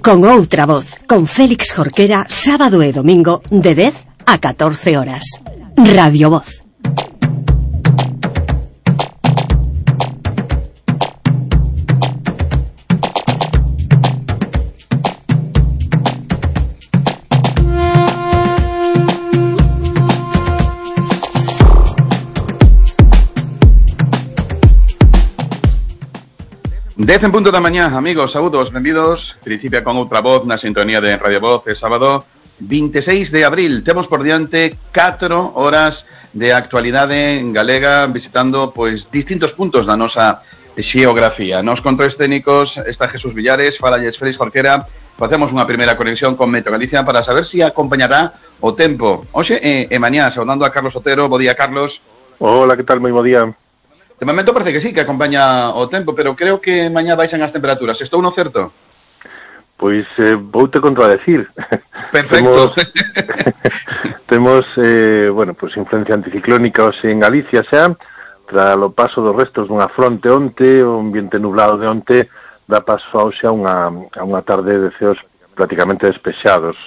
con outra voz, con Félix Jorquera, sábado e domingo de 10 a 14 horas. Radio Voz. Dez en punto da mañá, amigos, saúdos, benvidos. Principia con outra voz na sintonía de Radio Voz. É sábado 26 de abril. Temos por diante 4 horas de actualidade en galega, visitando pois distintos puntos da nosa xeografía. Nos controles técnicos está Jesús Villares, falalles Félix Jorquera. Facemos unha primeira conexión con Meteo Galicia para saber se acompañará o tempo. Hoxe e mañá, saudando a Carlos Otero. Bo día, Carlos. Hola, que tal? Moi bo día. De momento parece que sí, que acompaña o tempo, pero creo que mañá baixan as temperaturas. Estou no certo? Pois voute contradecir. Perfecto. Temos pues influencia anticiclónica hoxe en Galicia xa, tras o paso dos restos dunha fronte onte, o ambiente nublado de onte dá paso hoxe a unha tarde de ceos prácticamente despexados.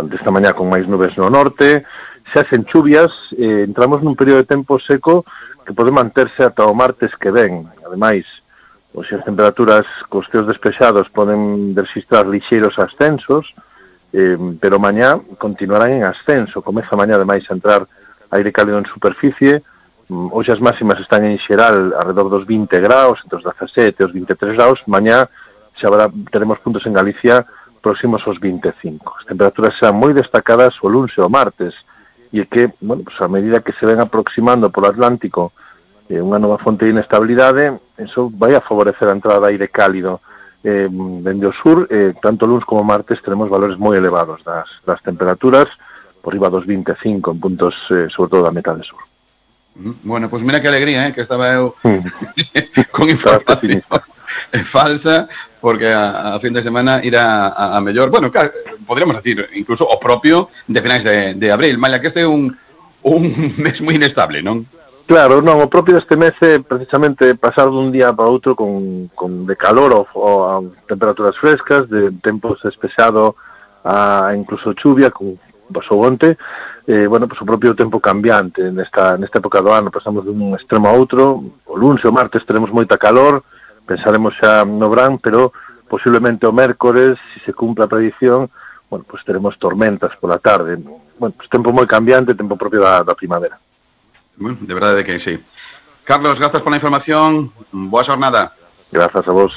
Desta mañá con máis nubes no norte, xa sen chuvias, entramos nun período de tempo seco que pode manterse ata o martes que ven. Ademais, as temperaturas cos ceos despexados poden registrar lixeiros ascensos, pero mañá continuarán en ascenso. Comeza mañá ademais a entrar aire cálido en superficie. Hoxe as máximas están en xeral alrededor dos 20 graus, entre os 17 e os 23 graus. Mañá xa teremos puntos en Galicia próximos aos 25. As temperaturas serán moi destacadas o luns e o martes, e que, a medida que se ven aproximando polo Atlántico unha nova fonte de inestabilidade, eso vai a favorecer a entrada de aire cálido dende o sur. Tanto luns como martes teremos valores moi elevados das temperaturas, por riba dos 25 en puntos, sobre todo da metade sur. Bueno, pues mira que alegría, que estaba eu con información falsa, porque a fin de semana irá a mellor, bueno, claro, podríamos decir incluso o propio de finais de abril, malla que este é un mes moi inestable, non? Claro, non, o propio deste mes é precisamente pasar dun día para outro con de calor ou a temperaturas frescas, de tempo despexado a incluso chuvia, como pasou onte. O propio tempo cambiante nesta época do ano, pasamos dun extremo a outro. O luns e o martes teremos moita calor, pensaremos xa no verán, pero posiblemente o mércores, se se cumpre a predición, teremos tormentas pola tarde. Tempo moi cambiante, tempo propio da primavera. De verdade que sí. Carlos, grazas pola información. Boa xornada. Grazas a vos.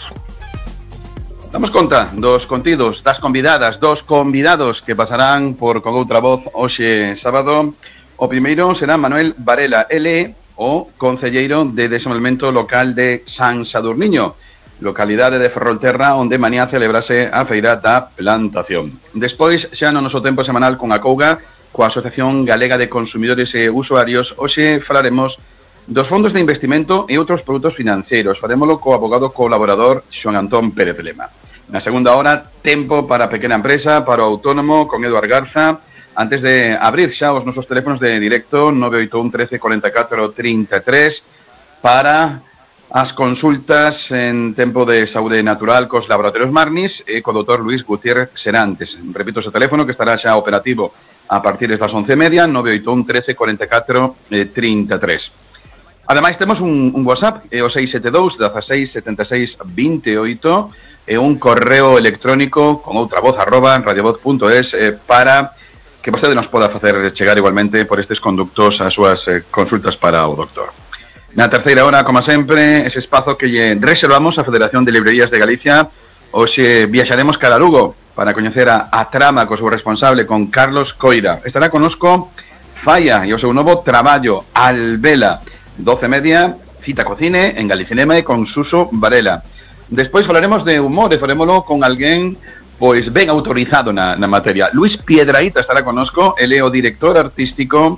Damos conta dos contidos, das convidadas, dos convidados que pasarán por Con Outra Voz hoxe sábado. O primeiro será Manuel Varela, ele o concelleiro de desenvolvemento local de San Sadurniño, localidade de Ferrolterra, onde mañá celebrase a feira da plantación. Despois, xa no noso tempo semanal con a Couga, coa Asociación Galega de Consumidores e Usuarios, hoxe falaremos dos fondos de investimento e outros produtos financeiros. Farémolo co abogado colaborador Xoan Antón Pérez Lema. Na segunda hora, tempo para a pequena empresa, para o autónomo, con Eduard Garza. Antes de abrir xa os nosos teléfonos de directo, 981 13 44 33, para as consultas en tempo de saúde natural cos laboratorios Marnis e co doutor Luis Gutiérrez Serantes. Repito ese teléfono que estará xa operativo a partir das 11:30, 981 13 44 33. Ademais, temos un WhatsApp, o 672 16 76 28, e un correo electrónico con outra voz, @radiovoz.es, para que vostede nos poda facer chegar igualmente por estes conductos as súas consultas para o doctor. Na terceira hora, como sempre, ese espazo que lle reservamos a Federación de Librerías de Galicia. Hoxe viaxaremos cara a Lugo para coñecer a trama co seu responsable, con Carlos Coira. Estará conosco Falla e o seu novo traballo, Albela. 12:30, cita co cine en Galicinema e con Suso Varela. Despois falaremos de humor e farémolo con alguén pois ben autorizado na materia. Luis Piedrahita estará conosco, ele é o director artístico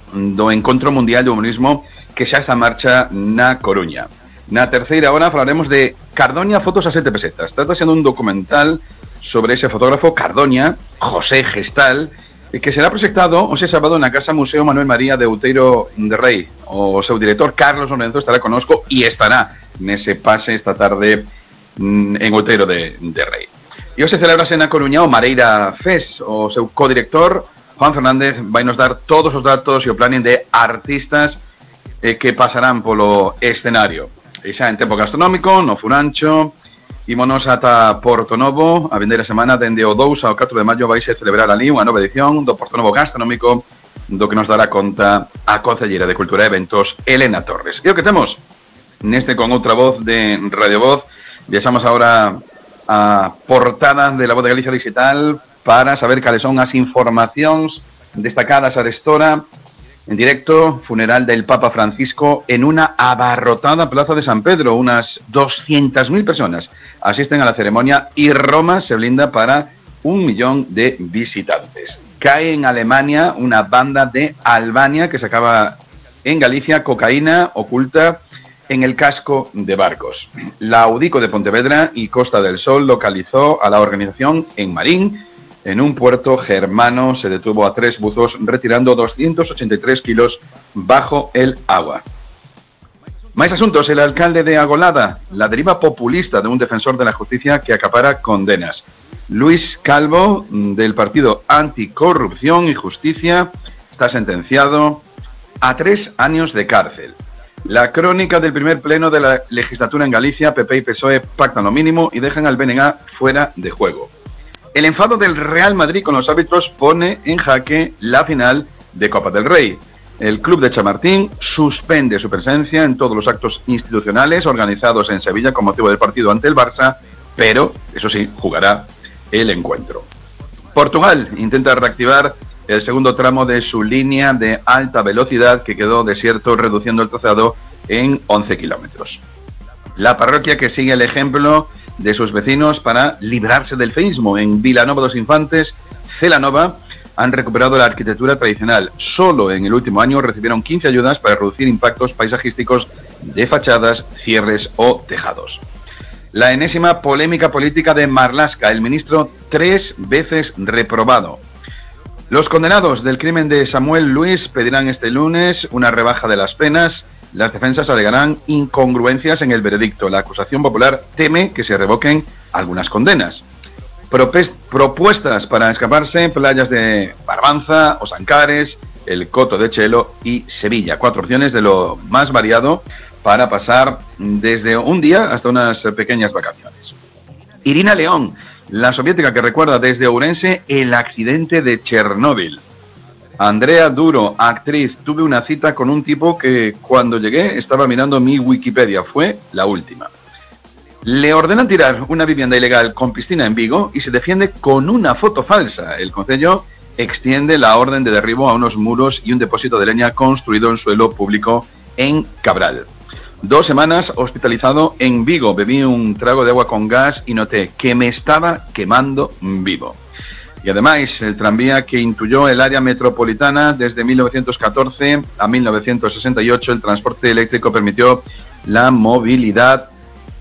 do Encontro Mundial de Humorismo que xa está en marcha na Coruña. Na terceira hora falaremos de Cardoña, fotos a 7 pesetas. Trata sendo un documental sobre ese fotógrafo Cardoña, José Gestal, que será proxectado hoxe sábado na Casa Museo Manuel María de Outeiro de Rei. O seu director Carlos Lorenzo estará conosco e estará nese pase esta tarde en Outeiro de Rei. E hoxe celebrase na Coruña o Mareira Fest. O seu codirector, Juan Fernández, vai nos dar todos os datos e o planning de artistas que pasarán polo escenario. E xa en tempo gastronómico, no Furancho, ímonos ata Porto Novo. A vindeira semana, dende o 2 ao 4 de maio, vaise celebrar ali unha nova edición do Porto Novo Gastronómico, do que nos dará conta a concelleira de Cultura e Eventos, Elena Torres. E o que temos neste Con Outra Voz de Radio Voz, viaxamos agora a portada de La Voz de Galicia Digital para saber cales son as informacións destacadas arestora. En directo, funeral del Papa Francisco en una abarrotada Plaza de San Pedro. Unas 200.000 personas asisten a la ceremonia y Roma se blinda para 1 millón de visitantes. Cae en Alemania una banda de Albania que sacaba en Galicia cocaína oculta en el casco de barcos. La Audico de Pontevedra y Costa del Sol localizó a la organización en Marín. En un puerto germano se detuvo a 3 buzos retirando 283 kilos bajo el agua. Más asuntos. El alcalde de Agolada, la deriva populista de un defensor de la justicia que acapara condenas. Luis Calvo, del partido Anticorrupción y Justicia, está sentenciado a 3 años de cárcel. La crónica del primer pleno de la legislatura en Galicia. PP y PSOE pactan lo mínimo y dejan al BNG fuera de juego. El enfado del Real Madrid con los árbitros pone en jaque la final de Copa del Rey. El club de Chamartín suspende su presencia en todos los actos institucionales organizados en Sevilla con motivo del partido ante el Barça, pero, eso sí, jugará el encuentro. Portugal intenta reactivar el segundo tramo de su línea de alta velocidad que quedó desierto, reduciendo el trazado en 11 kilómetros. La parroquia que sigue el ejemplo de sus vecinos para librarse del feísmo. En Vilanova dos Infantes, Celanova, han recuperado la arquitectura tradicional. Solo en el último año recibieron 15 ayudas para reducir impactos paisajísticos de fachadas, cierres o tejados. La enésima polémica política de Marlaska, el ministro 3 veces reprobado. Los condenados del crimen de Samuel Luis pedirán este lunes una rebaja de las penas. Las defensas alegarán incongruencias en el veredicto. La acusación popular teme que se revoquen algunas condenas. Propuestas para escaparse: playas de Barbanza, Osancares, el Coto de Chelo y Sevilla. 4 opciones de lo más variado para pasar desde un día hasta unas pequeñas vacaciones. Irina León, la soviética que recuerda desde Ourense el accidente de Chernóbil. Andrea Duro, actriz, tuve una cita con un tipo que cuando llegué estaba mirando mi Wikipedia, fue la última. Le ordenan tirar una vivienda ilegal con piscina en Vigo y se defiende con una foto falsa. El concello extiende la orden de derribo a unos muros y un depósito de leña construido en suelo público en Cabral. 2 semanas hospitalizado en Vigo, bebí un trago de agua con gas y noté que me estaba quemando vivo. Y además, el tranvía que intuyó el área metropolitana desde 1914 a 1968, el transporte eléctrico permitió la movilidad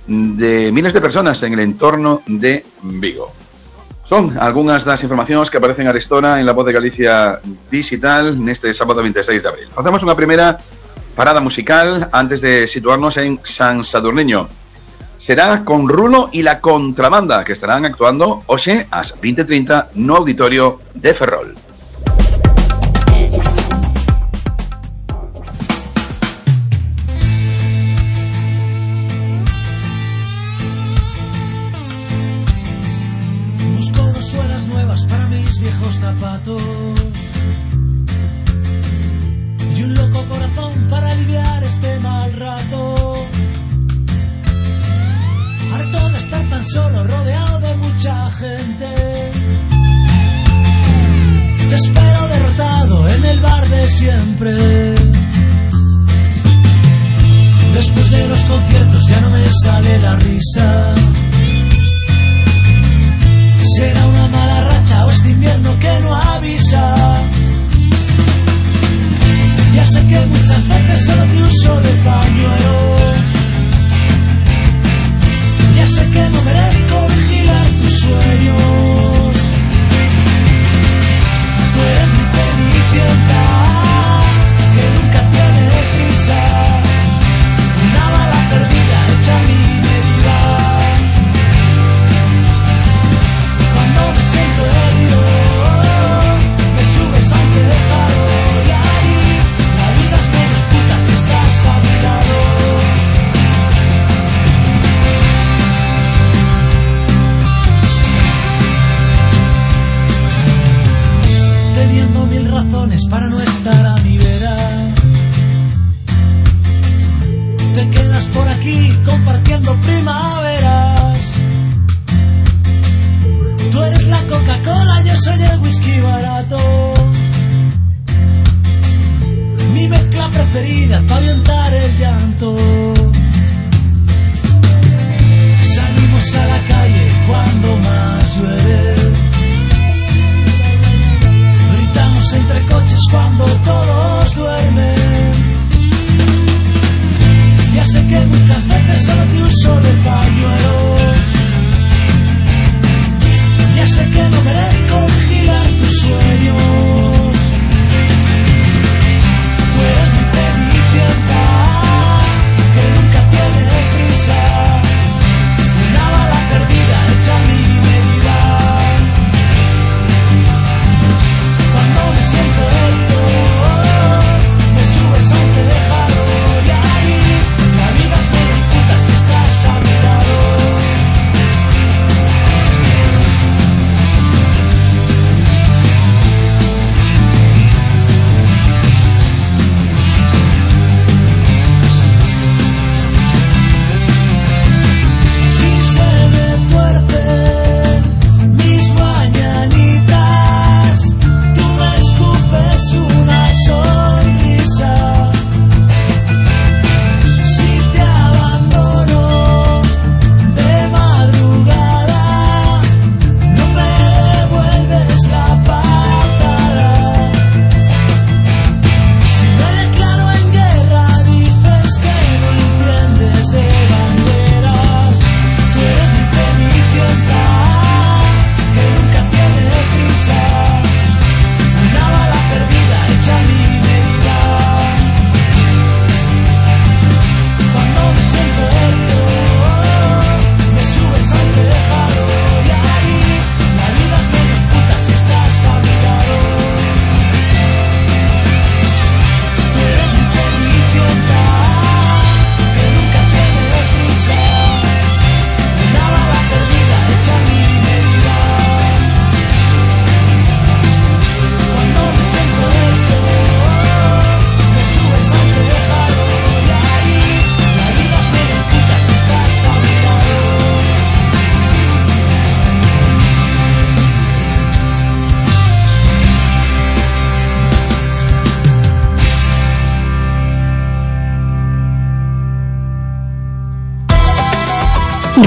de miles de personas en el entorno de Vigo. Son algunhas das informacións que aparecen arestora en La Voz de Galicia Digital neste sábado 26 de abril. Facemos unha primeira parada musical antes de situarnos en San Sadurniño. Será con Rulo y la Contrabanda, que estarán actuando hoxe ás 20:30 no auditorio de Ferrol. Busco 2 suelas nuevas para mis viejos zapatos y un loco corazón para aliviar este mal rato. Harto de estar tan solo, rodeado de mucha gente. Te espero derrotado en el bar de siempre. Después de los conciertos ya no me sale la risa. Será una mala racha o este invierno que no avisa. Ya sé que muchas veces solo te uso de pañuelo. Ya sé que no merezco vigilar tus sueños. Tú eres mi cenicienta, que nunca tiene prisa. Una bala perdida hecha a mi medida. andas por aquí compartiendo primaveras. Tú eres la Coca-Cola, yo soy el whisky barato. Mi mezcla preferida para ahuyentar el llanto. Salimos a la calle cuando más llueve. Gritamos entre coches cuando todos duermen. Ya sé que muchas veces solo te uso de pañuelo. Ya sé que no merezco vigilar tus sueños. Tú eres mi cenicienta, que nunca tiene prisa. Una bala perdida hecha a mi medida. Cuando me siento herido, me subes a un tejado. Y ahí la vida es menos puta si estás a mi lado.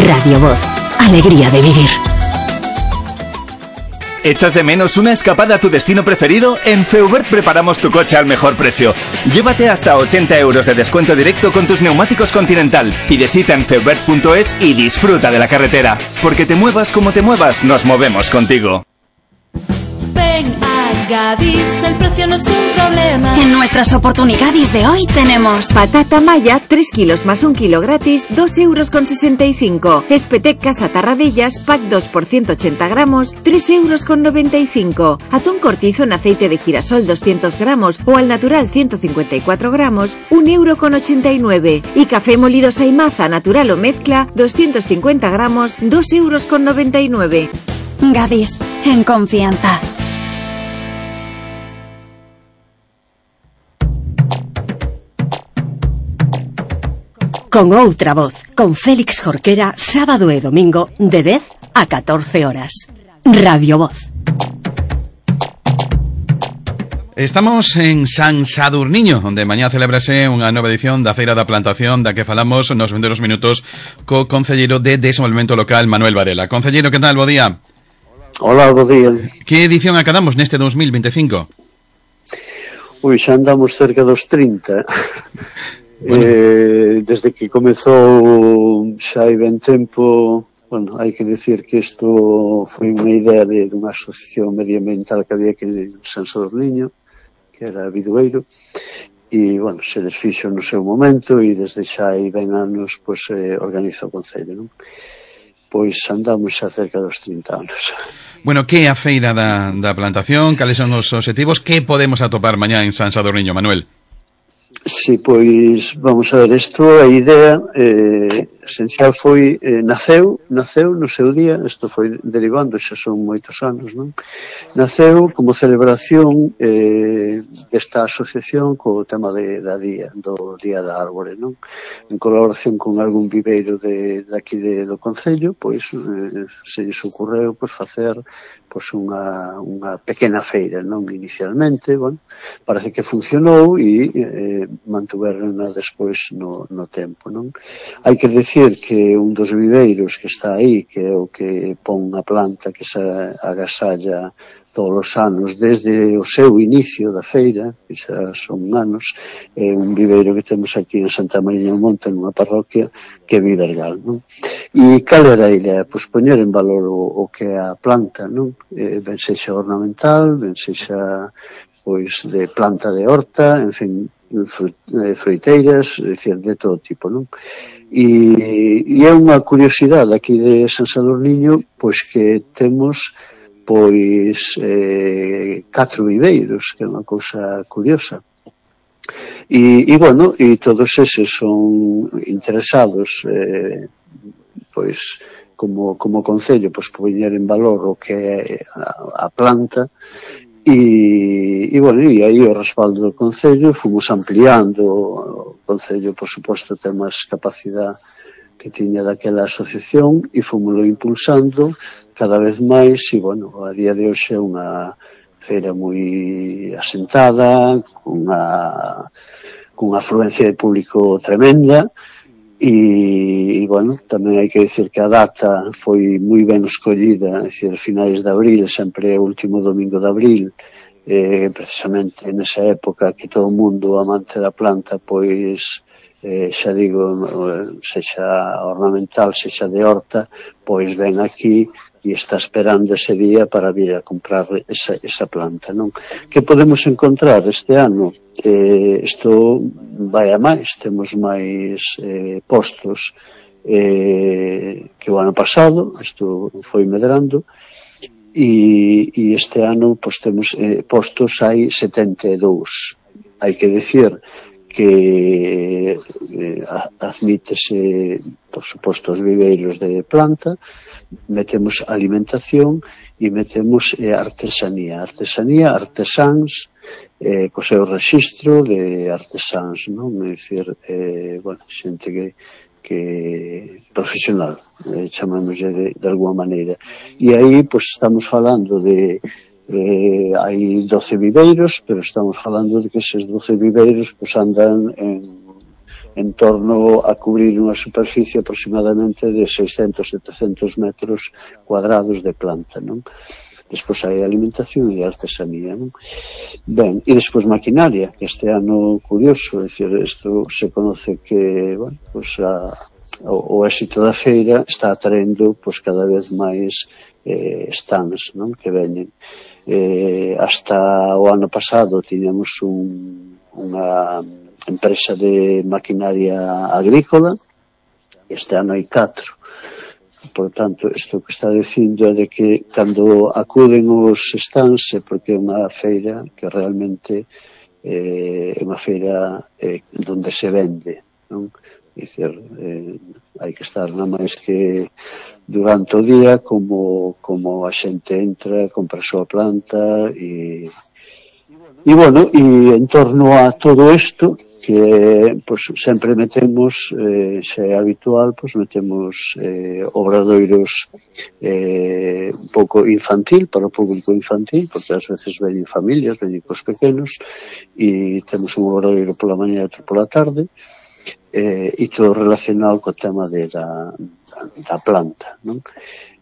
Radio Voz, alegría de vivir. ¿Echas de menos una escapada a tu destino preferido? En Feubert preparamos tu coche al mejor precio. Llévate hasta 80 euros de descuento directo con tus neumáticos Continental. Pide cita en feubert.es y disfruta de la carretera. Porque te muevas como te muevas, nos movemos contigo. Ven a Gadis, el precio no es un problema. En nuestras oportunidades de hoy tenemos patata maya, 3 kilos más 1 kilo gratis, 2,65 €. Espetec Casa Tarradellas, pack 2 por 180 gramos, 3,95 €. Atún cortizo en aceite de girasol 200 gramos o al natural 154 gramos, 1,89 €. Y café molido Saimaza natural o mezcla, 250 gramos, 2,99 €. Gadis, en confianza. Con outra voz, con Félix Jorquera, sábado e domingo, de 10 a 14 horas. Radio Voz. Estamos en San Sadurniño, onde mañá celebrase unha nova edición da Feira da Plantación, da que falamos nos vindeiros minutos co concelleiro de Desenvolvemento Local, Manuel Varela. Concelleiro, que tal? Bo día. Hola, bo día. Que edición acadamos neste 2025? Ui, xa andamos cerca dos 30. Bueno. Desde que comezou xa hai ben tempo, bueno, hai que decir que isto foi unha idea de unha asociación medioambiental que había aquí en San Sadurniño, que era Bidueiro, e, bueno, se desfixo no seu momento e desde xa hai ben anos, pois, organiza o Concello, non? Pois andamos xa cerca dos 30 anos. Bueno, que é a Feira da Plantación? Cales son os obxectivos? Que podemos atopar mañá en San Sadurniño, Manuel? Sí, pois, vamos a ver, isto, a idea esencial foi, naceu no seu día, isto foi derivando, xa son moitos anos, non? Naceu como celebración desta asociación co tema da día, do Día da Árbore, non? En colaboración con algún viveiro daqui do Concello, pois se lles ocorreu pois facer pois unha pequena feira, non? Inicialmente, bueno, parece que funcionou e mantuverna despois no tempo, non? Hai que decir que un dos viveiros que está aí, que é o que pon a planta que se agasalla todos os anos desde o seu inicio da feira, que xa son anos, é un viveiro que temos aquí en Santa Mariña do Monte, nunha parroquia que é Vivergal, non? E cal era a idea? Pois poñer en valor o que é a planta, non? Ben sexa ornamental, ben sexa pois de planta de horta, en fin, froiteiras, é dicir, de todo tipo, non? E é unha curiosidade aquí de San Sadurniño, pois que temos pois 4 viveiros, que é unha cousa curiosa. E bueno, e todos eses son interesados pois como concello, pois poñer en valor o que é a planta. E bueno, e aí o respaldo do Concello, fomos ampliando o Concello, por suposto, ten máis capacidade que tiña daquela asociación e fomoslo impulsando cada vez máis e, bueno, a día de hoxe é unha feira moi asentada, cunha afluencia de público tremenda e, bueno, tamén hai que dicir que a data foi moi ben escollida, é dicir, finais de abril, sempre é o último domingo de abril, precisamente nesa época que todo o mundo amante da planta, pois, xa digo, sexa ornamental, sexa de horta, pois ven aquí e está esperando ese día para vir a comprar esa planta, non? Que podemos encontrar este ano? Isto vai a máis, temos máis postos que o ano pasado, isto foi medrando, e este ano pois temos postos hai 72. Hai que decir que admítese, por suposto, os viveiros de planta, metemos alimentación e metemos artesanía, artesáns, co seu registro de artesáns, non? É dicir, bueno, xente que profesional, chamámoslle de alguma maneira. E aí, pois, estamos falando de hai 12 viveiros, pero estamos falando de que eses 12 viveiros pois andan en torno a cubrir unha superficie aproximadamente de 600-700 metros cuadrados de planta, non? Despois hai alimentación e artesanía, non? Ben, e despois maquinaria, que este ano curioso, é dicir, isto se conoce que, bueno, pois o éxito da feira está atraendo pois cada vez máis stands, non? Que veñen. Hasta o ano pasado tiñamos unha empresa de maquinaria agrícola, este ano hai 4. Por tanto, isto que está dicindo é de que cando acuden os stands é porque é unha feira que realmente é unha feira donde se vende, non? É dicir, hai que estar nada máis que durante o día como a xente entra, compra a súa planta e bueno, e en torno a todo isto que pois, sempre metemos, xa é habitual, pois metemos obradoiros un pouco infantil, para o público infantil, porque ás veces veñen familias, veñen cos pequenos, e temos un obradoiro pola mañá e outro pola tarde, e todo relacionado co tema da planta, non?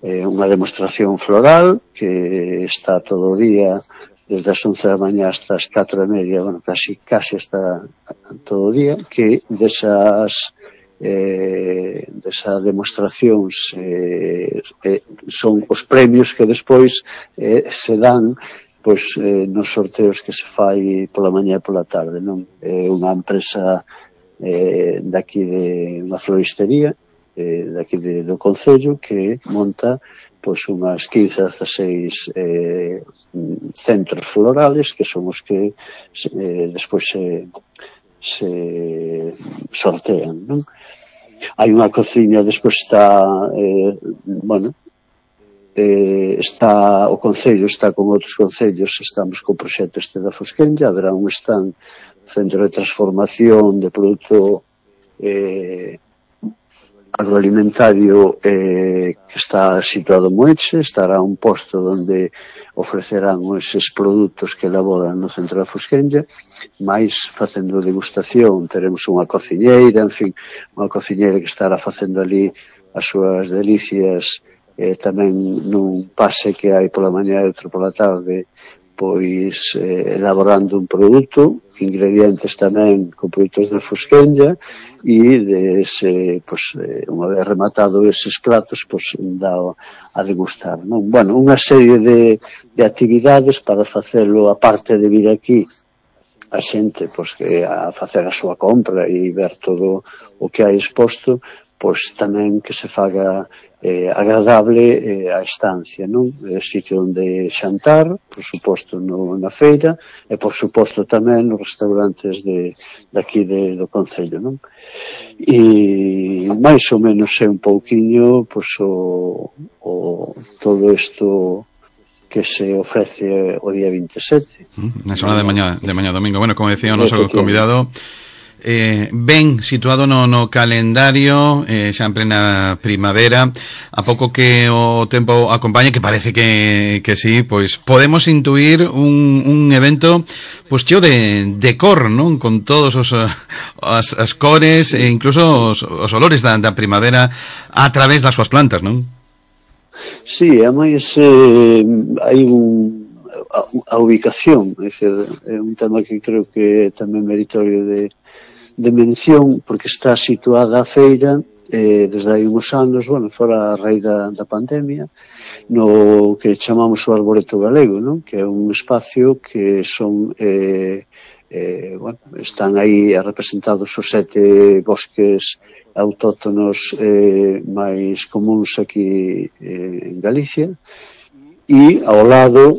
Unha demostración floral que está todo o día desde as 11 da mañá hasta as 4:30, bueno, casi hasta todo o día, que desas demostracións son os premios que despois se dan pois nos sorteos que se fai pola mañá e pola tarde, non? Unha empresa daqui de unha floristería daqui do Concello que monta pois unhas 15-16 centros florales que son os que despois sortean, non? Hai unha cociña, despois está está o Concello, está con outros concellos, estamos co proxecto este da Fosquenlla, haberá un stand, centro de transformación de produto agroalimentario que está situado en Moeche, estará un posto onde ofrecerán eses produtos que elaboran no centro da Fosquenlla, máis facendo degustación, teremos unha cociñeira, en fin, unha cociñeira que estará facendo ali as súas delicias, tamén nun pase que hai pola mañá e outro pola tarde, pois elaborando un produto, ingredientes tamén con produtos de Fosquenlla, e unha vez rematado eses platos, pois dá a degustar, non? Bueno, unha serie de actividades para facelo, aparte de vir aquí a xente pois que a facer a súa compra e ver todo o que hai exposto, pois tamén que se faga agradable a estancia, non? O sitio onde xantar, por suposto na feira, e por suposto tamén nos restaurantes daqui do Concello, non? E máis ou menos é un pouquiño pois todo isto que se ofrece o día 27. Na zona de mañá domingo. Bueno, como decía o noso convidado, ben situado no calendario, xa en plena primavera, a pouco que o tempo acompañe, que parece que sí, pois podemos intuir un evento pois cheo de cor, non? Con todos as cores e incluso os olores da primavera a través das súas plantas, non? Sí, ademais hai a ubicación, é un tema que creo que é tamén meritorio de mención, porque está situada a feira desde hai uns anos, fora a raíz da pandemia, no que chamamos o Arboreto Galego, non? Que é un espacio que son están aí representados os 7 bosques autóctonos máis comuns aquí en Galicia, e ao lado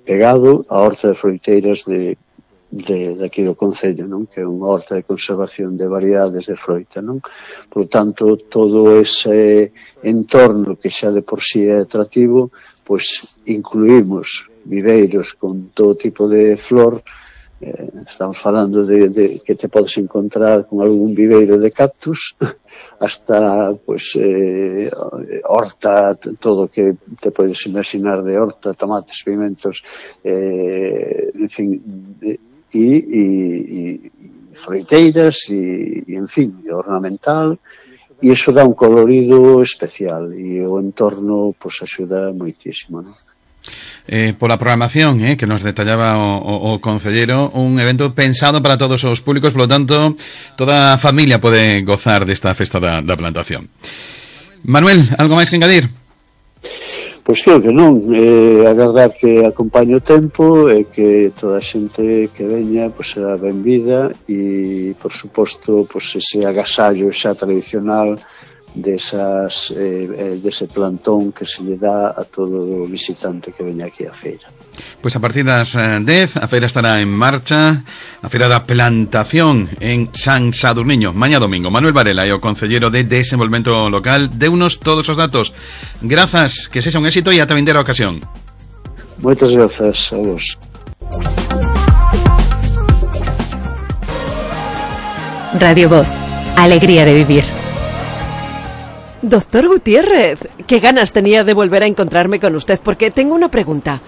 pegado a Horta de Froiteiras de aquí do Concello, non? Que é unha horta de conservación de variedades de froita, non? Por tanto, todo ese entorno que xa de por sí é atractivo, pois incluímos viveiros con todo tipo de flor. Estamos falando de que te podes encontrar con algún viveiro de cactus hasta pois horta, todo que te podes imaginar de horta, tomates, pimentos, en fin, e froiteiras e en fin, ornamental, e iso dá un colorido especial e o entorno pois axuda moitísimo, non? Pola programación que nos detallaba o concelleiro, un evento pensado para todos os públicos, polo tanto toda a familia pode gozar desta festa da plantación. Manuel, algo máis que engadir? Pois creo que non, agardar que acompañe o tempo e que toda a xente que veña pois será benvida e, por suposto, pois ese agasallo xa tradicional dese plantón que se lle dá a todo visitante que veña aquí á feira. Pois a partir das 10 a feira estará en marcha, a feira da plantación en San Sadurniño, mañá domingo. Manuel Varela e o concelleiro de Desenvolvemento Local deunos todos os datos. Grazas, que sexa un éxito e ata vindeira ocasión. Moitas grazas a vos. Radio Voz, alegría de vivir. Doctor Gutiérrez, qué ganas tenía de volver a encontrarme con usted, porque tengo una pregunta.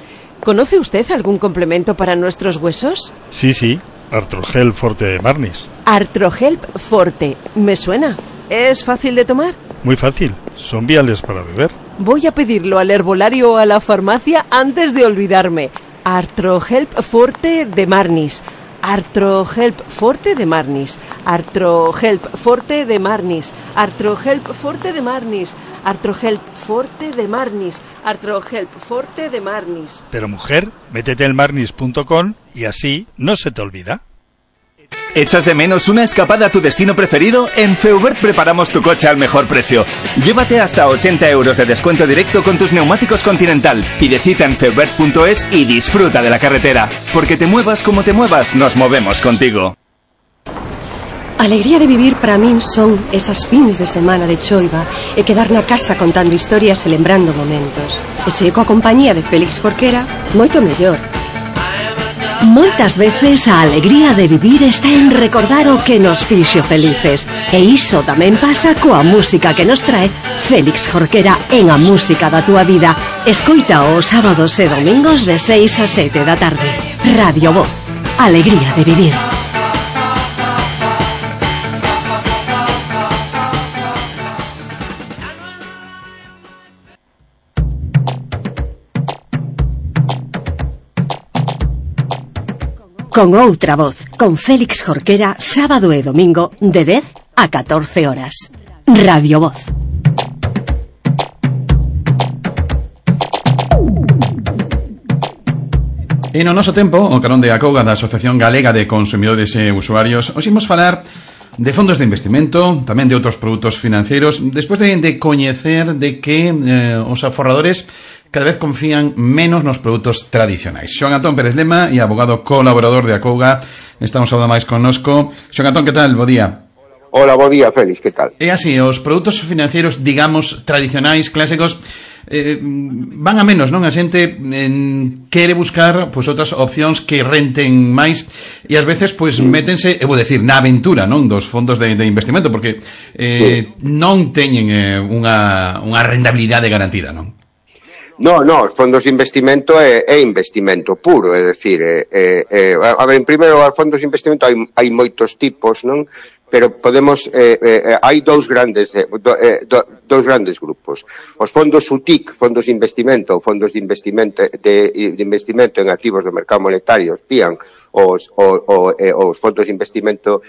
¿Conoce usted algún complemento para nuestros huesos? Sí, Artrohelp Forte de Marnis. Artrohelp Forte, me suena. ¿Es fácil de tomar? Muy fácil, son viales para beber. Voy a pedirlo al herbolario o a la farmacia antes de olvidarme. Artrohelp Forte de Marnis. Artrohelp Forte de Marnis. Artrohelp Forte de Marnis. Artrohelp Forte de Marnis. Artrohelp Forte de Marnis. Artrohelp Forte de Marnis. Pero mujer, métete en marnis.com y así no se te olvida. ¿Echas de menos una escapada a tu destino preferido? En Feubert preparamos tu coche al mejor precio. Llévate hasta 80 euros de descuento directo con tus neumáticos Continental. Pide cita en feubert.es y disfruta de la carretera. Porque te muevas como te muevas, nos movemos contigo. A alegría de vivir para min son esas fins de semana de choiva e quedar na casa contando historias e lembrando momentos. E se coa compañía de Félix Jorquera, moito mellor. Moitas veces a alegría de vivir está en recordar o que nos fixo felices. E iso tamén pasa coa música que nos trae Félix Jorquera en A Música da Túa Vida. Escoita os sábados e domingos de 6 a 7 da tarde. Radio Voz. Alegría de vivir. Con outra voz, con Félix Jorquera, sábado e domingo, de 10 a 14 horas. Radio Voz. E no noso tempo, o carón de Acouga da Asociación Galega de Consumidores e Usuarios, os imos falar de fondos de investimento, tamén de outros produtos financeiros, despois de coñecer de que os aforradores cada vez confían menos nos produtos tradicionais. Xoan Antón Pérez Lema e abogado colaborador de Acouga, estamos a máis connosco. Xoan Antón, que tal? Bo día. Hola, bo día, Félix, que tal? É así, os produtos financeiros, digamos, tradicionais, clásicos, van a menos, non? A xente quere buscar pois outras opcións que renten máis e ás veces pois métense, eu vou decir, na aventura, non, dos fondos de investimento, porque non teñen unha rentabilidade garantida, non? No, os fondos de investimento é investimento puro, é dicir, a ver, en primeiro, os fondos de investimento hai moitos tipos, non? Pero podemos, hai dous grandes grupos. Os fondos UTIC, fondos de investimento, ou fondos de investimento en activos do mercado monetario, PIAN, os fondos de investimento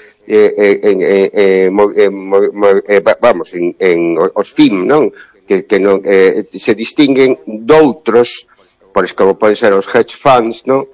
os FIM, non? Que non se distinguen doutros, como poden ser os hedge funds, non?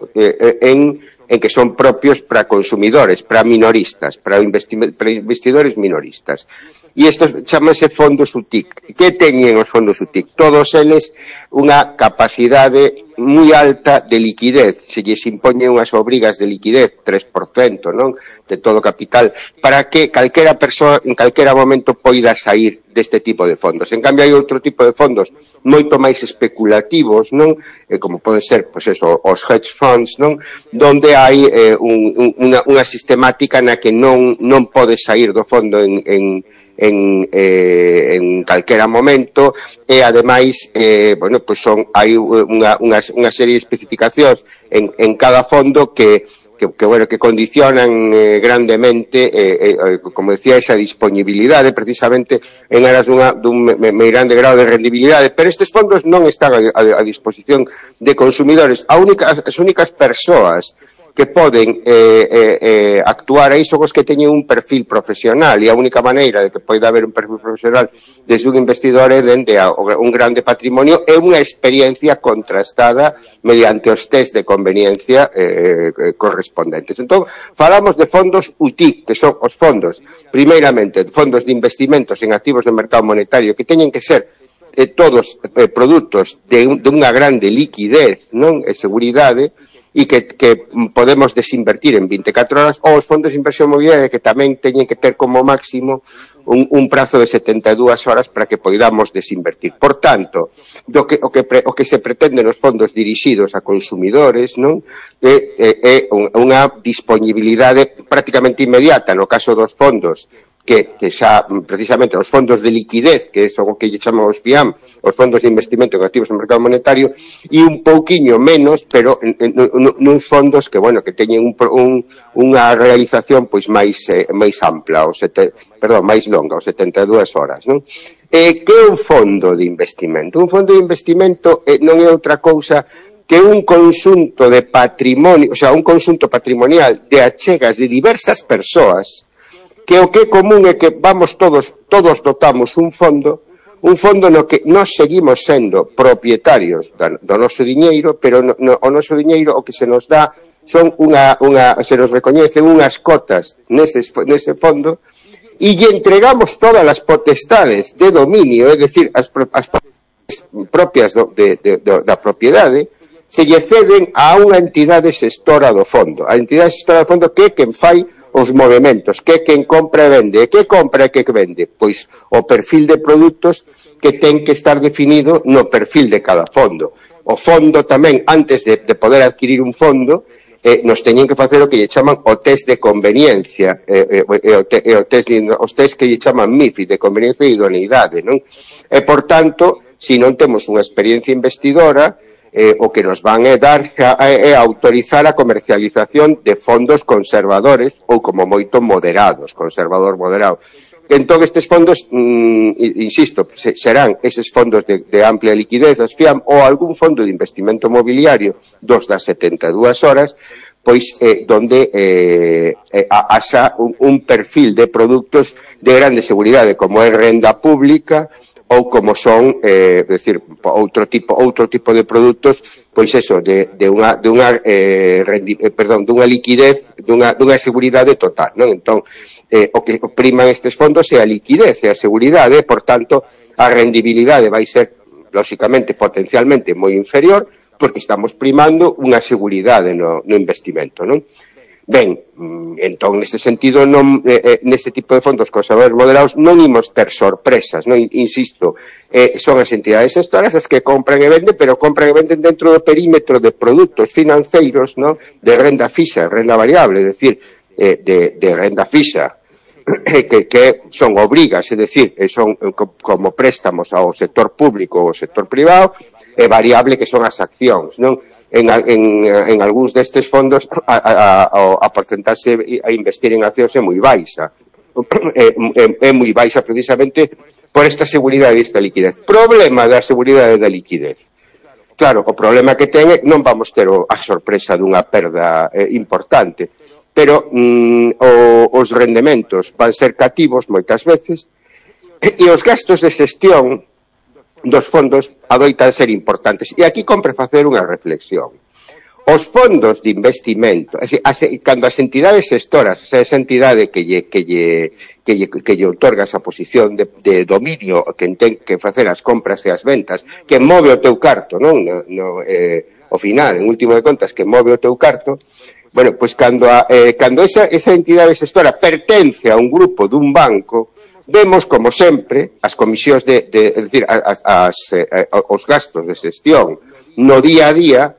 En que son propios para consumidores, para minoristas, para investidores minoristas. E estos chamanse fondos UTIC. Que teñen os fondos UTIC? Todos eles unha capacidade moi alta de liquidez. Se lles impoñen unhas obrigas de liquidez, 3%, non? De todo capital, para que calquera persoa en calquera momento poida sair deste tipo de fondos. En cambio, hai outro tipo de fondos moito máis especulativos, non? Como poden ser, pois eso, os hedge funds, non? Donde hai unha sistemática na que non pode sair do fondo en calquera momento e ademais pois hai unha serie de especificacións en cada fondo que condicionan grandemente, como decía, esa disponibilidade precisamente en aras dun meirande grado de rendibilidade, pero estes fondos non están a disposición de consumidores. As únicas persoas que poden actuar aí son os que teñen un perfil profesional, e a única maneira de que poida haber un perfil profesional desde un investidor é dende un grande patrimonio e unha experiencia contrastada mediante os test de conveniencia correspondentes. Entón, falamos de fondos UTIC, que son os fondos, primeiramente, fondos de investimentos en activos do mercado monetario, que teñen que ser todos produtos de unha grande liquidez, non? E seguridade, e que podemos desinvertir en 24 horas, ou os fondos de inversión mobiliaria que tamén teñen que ter como máximo un prazo de 72 horas para que podamos desinvertir. Por tanto, o que se pretende nos fondos dirixidos a consumidores, non? É unha disponibilidade prácticamente inmediata. No caso dos fondos que xa, precisamente, os fondos de liquidez, que son o que lle chamamos FIAM, os fondos de investimento en activos no mercado monetario, e un pouquiño menos, pero nuns fondos que, que teñen unha realización pois máis ampla, máis longa, os 72 horas, non? Que é un fondo de investimento? Un fondo de investimento non é outra cousa que un conxunto de patrimonio, un conxunto patrimonial de achegas de diversas persoas, que o que é común é que todos dotamos un fondo no que nós seguimos sendo propietarios do noso diñeiro, pero o noso diñeiro o que se nos dá son se nos recoñecen unhas cotas nese fondo e lle entregamos todas as potestades de dominio, é dicir, as propias da propiedade, se lle ceden a unha entidade xestora do fondo. A entidade xestora do fondo que é quen fai os movementos, que quen compra e vende, e que compra e que vende, pois o perfil de produtos que ten que estar definido no perfil de cada fondo. O fondo tamén, antes de poder adquirir un fondo, nos teñen que facer o que lle chaman o test de conveniencia, os test que lle chaman MIFID, de conveniencia e idoneidade, non? E, por tanto, se non temos unha experiencia investidora, o que nos van dar é autorizar a comercialización de fondos conservadores ou como moito moderados, conservador moderado. Entón, estes fondos, insisto, serán eses fondos de amplia liquidez, as FIAM, ou algún fondo de investimento mobiliario dos das 72 horas, pois donde haxa un perfil de produtos de grande seguridade, como é renda pública, ou como son, decir, outro tipo de produtos, pois eso, dunha liquidez, dunha seguridade total, non? Entón, o que priman estes fondos é a liquidez e a seguridade, por tanto, a rendibilidade vai ser, lóxicamente, potencialmente moi inferior, porque estamos primando unha seguridade no investimento, non? Ben, entón, neste sentido, neste tipo de fondos conservadores moderados non imos ter sorpresas, non? Insisto, son as entidades gestoras as que compran e venden, pero compran e venden dentro do perímetro de produtos financeiros, non? De renda fixa, renda variable, é dicir, de renda fixa, que son obrigas, é dicir, son como préstamos ao sector público ou ao sector privado, e variable que son as accións, non? En algúns destes fondos a porcentaxe a investir en accións é moi baixa. É moi baixa precisamente por esta seguridade e esta liquidez. Problema da seguridade da liquidez. Claro, o problema que ten é non vamos ter a sorpresa dunha perda importante, pero os rendementos van ser cativos moitas veces e os gastos de xestión dos fondos adoitan ser importantes. E aquí compre facer unha reflexión. Os fondos de investimento, cando as entidades gestoras, esa entidade que lle outorga esa posición de dominio, que ten que facer as compras e as ventas, que move o teu carto, non? Ao final, en último de contas, que move o teu carto, bueno, pois cando esa entidade gestora pertence a un grupo dun banco, vemos, como sempre, as comisións é dicir, os gastos de xestión no día a día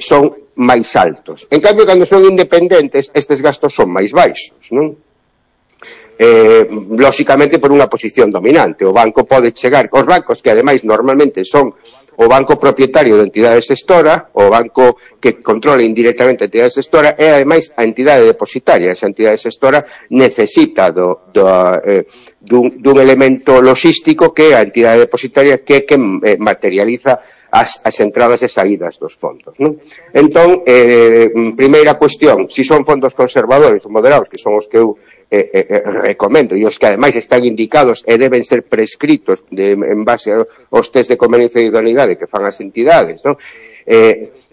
son máis altos. En cambio, cando son independentes, estes gastos son máis baixos, non? Lóxicamente, por unha posición dominante. O banco pode chegar, os bancos que, ademais, normalmente son o banco propietario da entidade xestora, o banco que controla indirectamente a entidade xestora, e, ademais, a entidade depositaria. Esa entidade xestora necesita dun elemento logístico que a entidade depositaria que materializa as entradas e saídas dos fondos, non? Entón, primeira cuestión, se son fondos conservadores ou moderados, que son os que eu recomendo, e os que ademais están indicados e deben ser prescritos en base aos test de conveniencia e idoneidade que fan as entidades, non?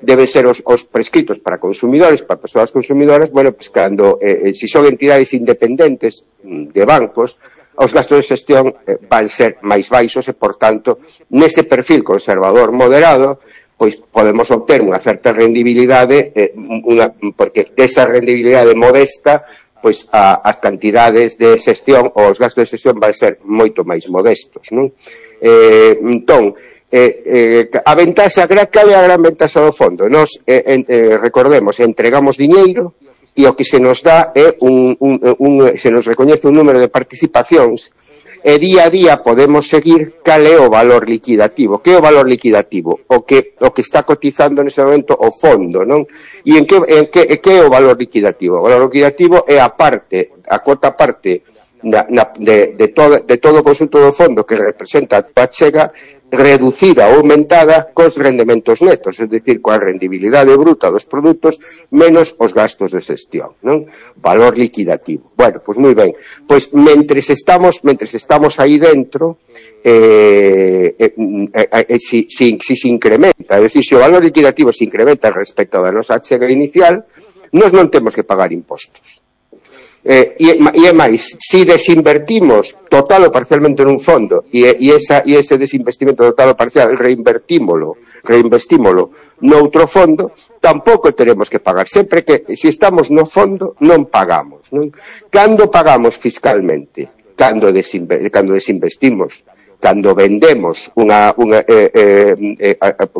Deben ser os prescritos para consumidores, para persoas consumidoras, bueno, pues cando, se son entidades independentes de bancos, os gastos de xestión van ser máis baixos e, por tanto, nese perfil conservador moderado, pois podemos obter unha certa rendibilidade, porque desa rendibilidade modesta, pois as cantidades de xestión ou os gastos de xestión van ser moito máis modestos, non? Entón, a ventaxa, cal é a gran ventaxa do fondo? Nos, recordemos, entregamos diñeiro, e o que se nos dá é se nos recoñece un número de participacións e día a día podemos seguir cal é o valor liquidativo. Que é o valor liquidativo? O que está cotizando nese momento o fondo, non? E que é o valor liquidativo? O valor liquidativo é a cuota parte de todo o conxunto do fondo que representa a tua chega reducida ou aumentada cos rendementos netos, é dicir, coa rendibilidade bruta dos produtos menos os gastos de xestión, non? Valor liquidativo. Bueno, pois moi ben. Pois mentres estamos aí dentro, se incrementa, é dicir, se o valor liquidativo se incrementa respecto da nosa chega inicial, nós non temos que pagar impostos. E é máis, si desinvertimos total ou parcialmente nun fondo e ese desinvestimento total ou parcial reinvestímolo noutro fondo, tampouco teremos que pagar. Sempre que, se estamos no fondo, non pagamos, non? Cando pagamos fiscalmente? Cando desinvestimos, cando vendemos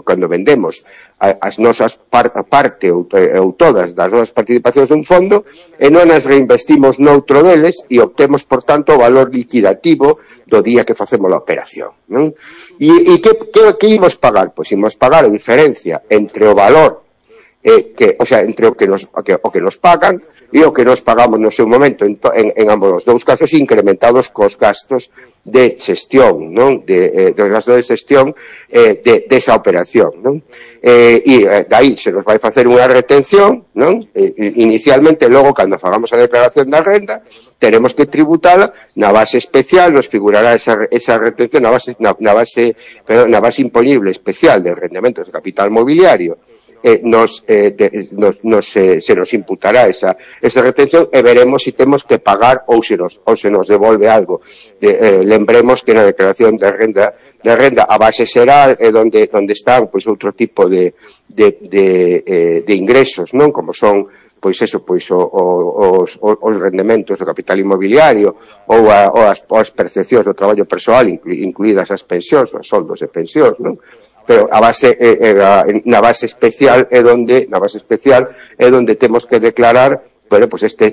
cando vendemos as nosas parte ou todas das nosas participacións dun fondo e non as reinvestimos noutro deles e obtemos, por tanto, o valor liquidativo do día que facemos a operación, non? E que imos pagar? Pois imos pagar a diferencia entre o valor entre o que nos pagan e o que nos pagamos no seu momento en ambos os dous casos, incrementados cos gastos de xestión, non? Dos gastos de xestión desa operación, non? E dai se nos vai facer unha retención, non? Inicialmente, logo, cando fagamos a declaración da renda, teremos que tributala na base especial, nos figurará esa retención na base imponible especial de rendementos de capital mobiliario. Se nos imputará esa retención e veremos se temos que pagar ou se nos devolve algo. Lembremos que na declaración de renda a base será onde están pois outro tipo de ingresos, non? Como son os rendementos do capital inmobiliario ou as percepcións do traballo persoal, incluídas as pensións, os soldos de pensións, non? Pero na base especial é onde temos que declarar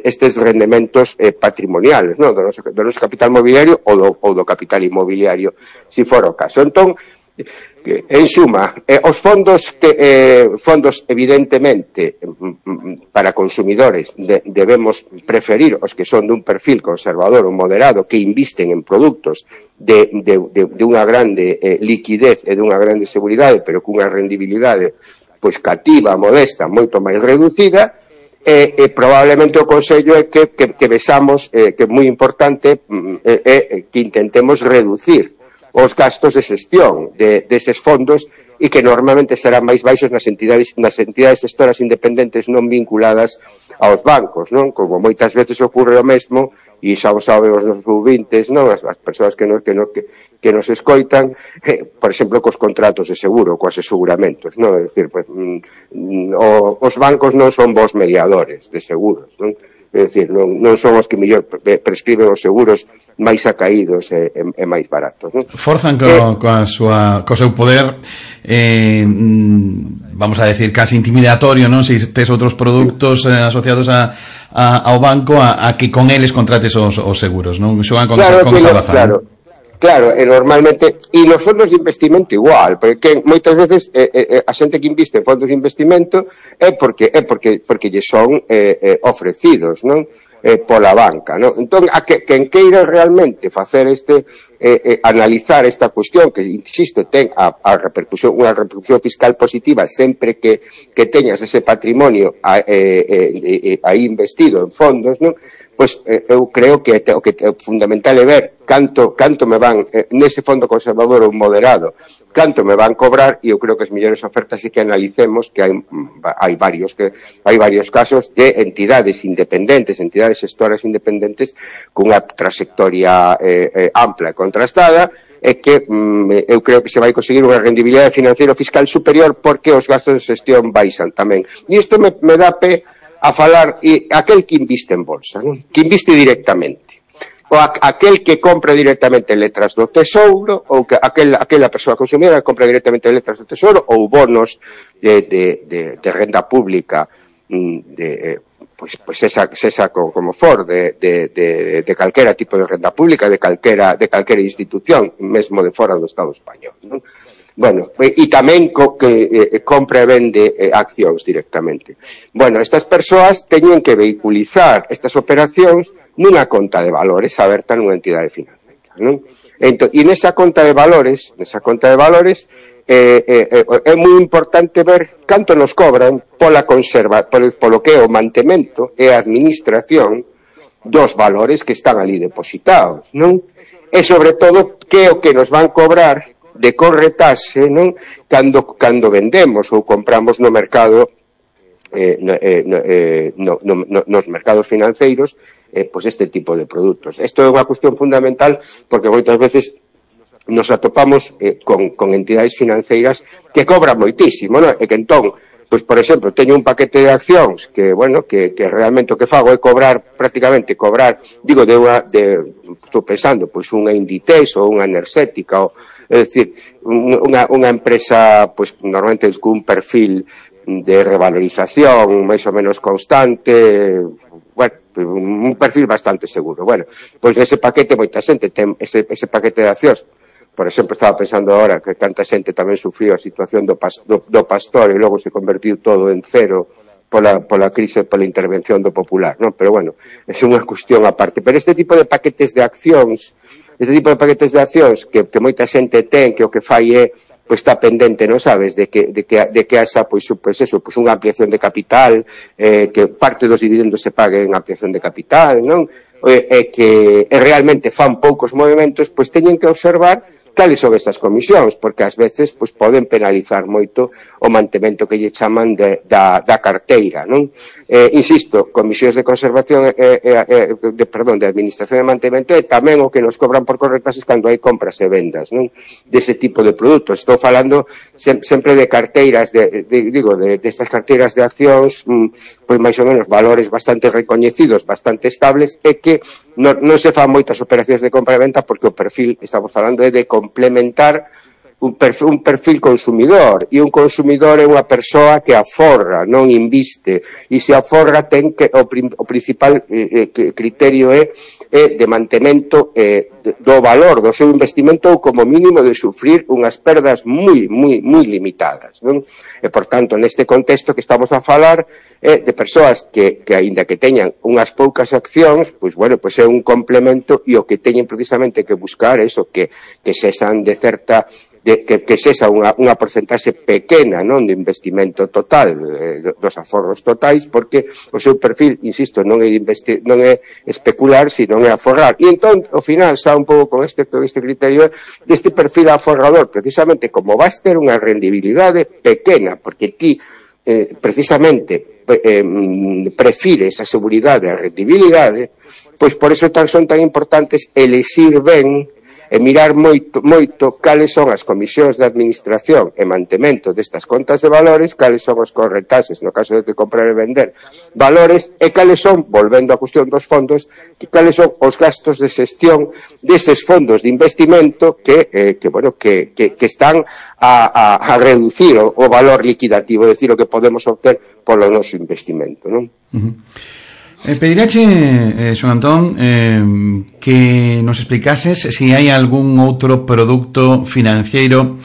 estes rendementos patrimoniales, non? Do noso capital mobiliario ou do capital inmobiliario, se for o caso. Entón, en suma, os fondos evidentemente para consumidores debemos preferir os que son dun perfil conservador ou moderado, que invisten en produtos de unha grande liquidez e dunha grande seguridade, pero cunha rendibilidade pois cativa, modesta, moito máis reducida. Probablemente o consello é que vexamos que é moi importante que intentemos reducir os gastos de xestión deses fondos e que normalmente serán máis baixos nas entidades xestoras independentes non vinculadas aos bancos, non? Como moitas veces ocorre o mesmo, e xa o saben os nosos ouvintes, non? As persoas que nos escoitan, por exemplo, cos contratos de seguro, coas aseguramentos, non? É dicir, os bancos non son bons mediadores de seguros, non? É dicir, non son os que mellor prescriben os seguros máis acaídos e máis baratos, non? Forzan co seu poder, vamos a decir, casi intimidatorio, non? Se tes outros produtos asociados ao banco a que con eles contrates os seguros, non? Xogan con esa baza. Claro, e normalmente, e nos fondos de investimento igual, porque moitas veces a xente que inviste en fondos de investimento é porque lle son ofrecidos, non? Pola banca, non? Entón, quen queira realmente facer analizar esta cuestión, que, insisto, ten unha repercusión fiscal positiva sempre que teñas ese patrimonio aí investido en fondos, non? Pois eu creo que o que é fundamental é ver canto me van nese fondo conservador ou moderado, canto me van cobrar, e eu creo que as mellores ofertas é que analicemos que hai varios casos de entidades independentes, entidades xestoras independentes cunha trayectoria ampla e contrastada, e que eu creo que se vai conseguir unha rendibilidade financiero fiscal superior porque os gastos de xestión baixan tamén. E isto me dá pé a falar aquel que inviste en bolsa, non? Que inviste directamente, ou aquel que compra directamente letras do Tesouro, ou que aquela persoa consumidora que compra directamente letras do Tesouro, ou bonos de renda pública, pois esa como for de calquera tipo de renda pública, de calquera institución, mesmo de fora do Estado español, non? Bueno, e tamén que compra e vende accións directamente. Bueno, estas persoas teñen que vehiculizar estas operacións nunha conta de valores aberta nunha entidade financiera, non? E nesa conta de valores é moi importante ver canto nos cobran polo que é o mantemento e a administración dos valores que están ali depositados, non? E sobre todo que é o que nos van cobrar de corretaxe, non? Cando vendemos ou compramos no mercado nos mercados financeiros pois este tipo de produtos. Isto é unha cuestión fundamental porque moitas veces nos atopamos con entidades financeiras que cobran moitísimo, non? E que entón, pois por exemplo, teño un paquete de accións que, bueno, que realmente o que fago é estou pensando, pois unha Inditex ou unha Enerxética, é dicir, unha empresa, pois normalmente con un perfil de revalorización máis ou menos constante, bueno, un perfil bastante seguro. Bueno, pois nese paquete moita xente ten ese paquete de accións. Por exemplo, estaba pensando agora que tanta xente tamén sufriu a situación do Pastor e logo se convertiu todo en cero pola crise, pola intervención do Popular, non? Pero bueno, é unha cuestión aparte. Pero este tipo de paquetes de accións que moita xente ten, que o que fai é pois está pendente, non sabes, de que haxa pois unha ampliación de capital, que parte dos dividendos se pague en ampliación de capital, non? E que realmente fan poucos movimentos, pois teñen que observar cales son estas comisións, porque ás veces pois poden penalizar moito o mantemento que lle chaman da carteira, non? Insisto, comisións de conservación de administración e mantemento é tamén o que nos cobran por correctas cando hai compras e vendas, non? Dese tipo de produtos. Estou falando sempre de carteiras destas carteiras de accións, pois máis ou menos valores bastante recoñecidos, bastante estables, e que non se fan moitas operacións de compra e venta porque o perfil, estamos falando, é de complementar un perfil consumidor, e un consumidor é unha persoa que aforra, non inviste, e se aforra ten que o principal criterio é de mantemento do valor do seu investimento ou como mínimo de sufrir unhas perdas moi limitadas, non? E por tanto, neste contexto que estamos a falar de persoas que aínda que teñan unhas poucas accións, pois bueno, pois é un complemento, e o que teñen precisamente que buscar é iso, que sexan de certa que sexa unha porcentaxe pequena, non, de investimento total, dos aforros totais, porque o seu perfil, insisto, non é especular, sino é aforrar. E entón, ao final, xa un pouco con este criterio deste perfil aforrador, precisamente, como vas ter unha rendibilidade pequena, porque ti, precisamente, prefires a seguridade a rendibilidade, pois por eso son tan importantes elexir ben e mirar moito cales son as comisións de administración e mantemento destas contas de valores, cales son os corretaxes no caso de que comprar e vender valores, e cales son, volvendo á cuestión dos fondos, cales son os gastos de xestión deses fondos de investimento que están a reducir o valor liquidativo, é dicir, o que podemos obter polo noso investimento, non? Pediráche, Xoán Antón, que nos explicases si hai algún outro produto financiero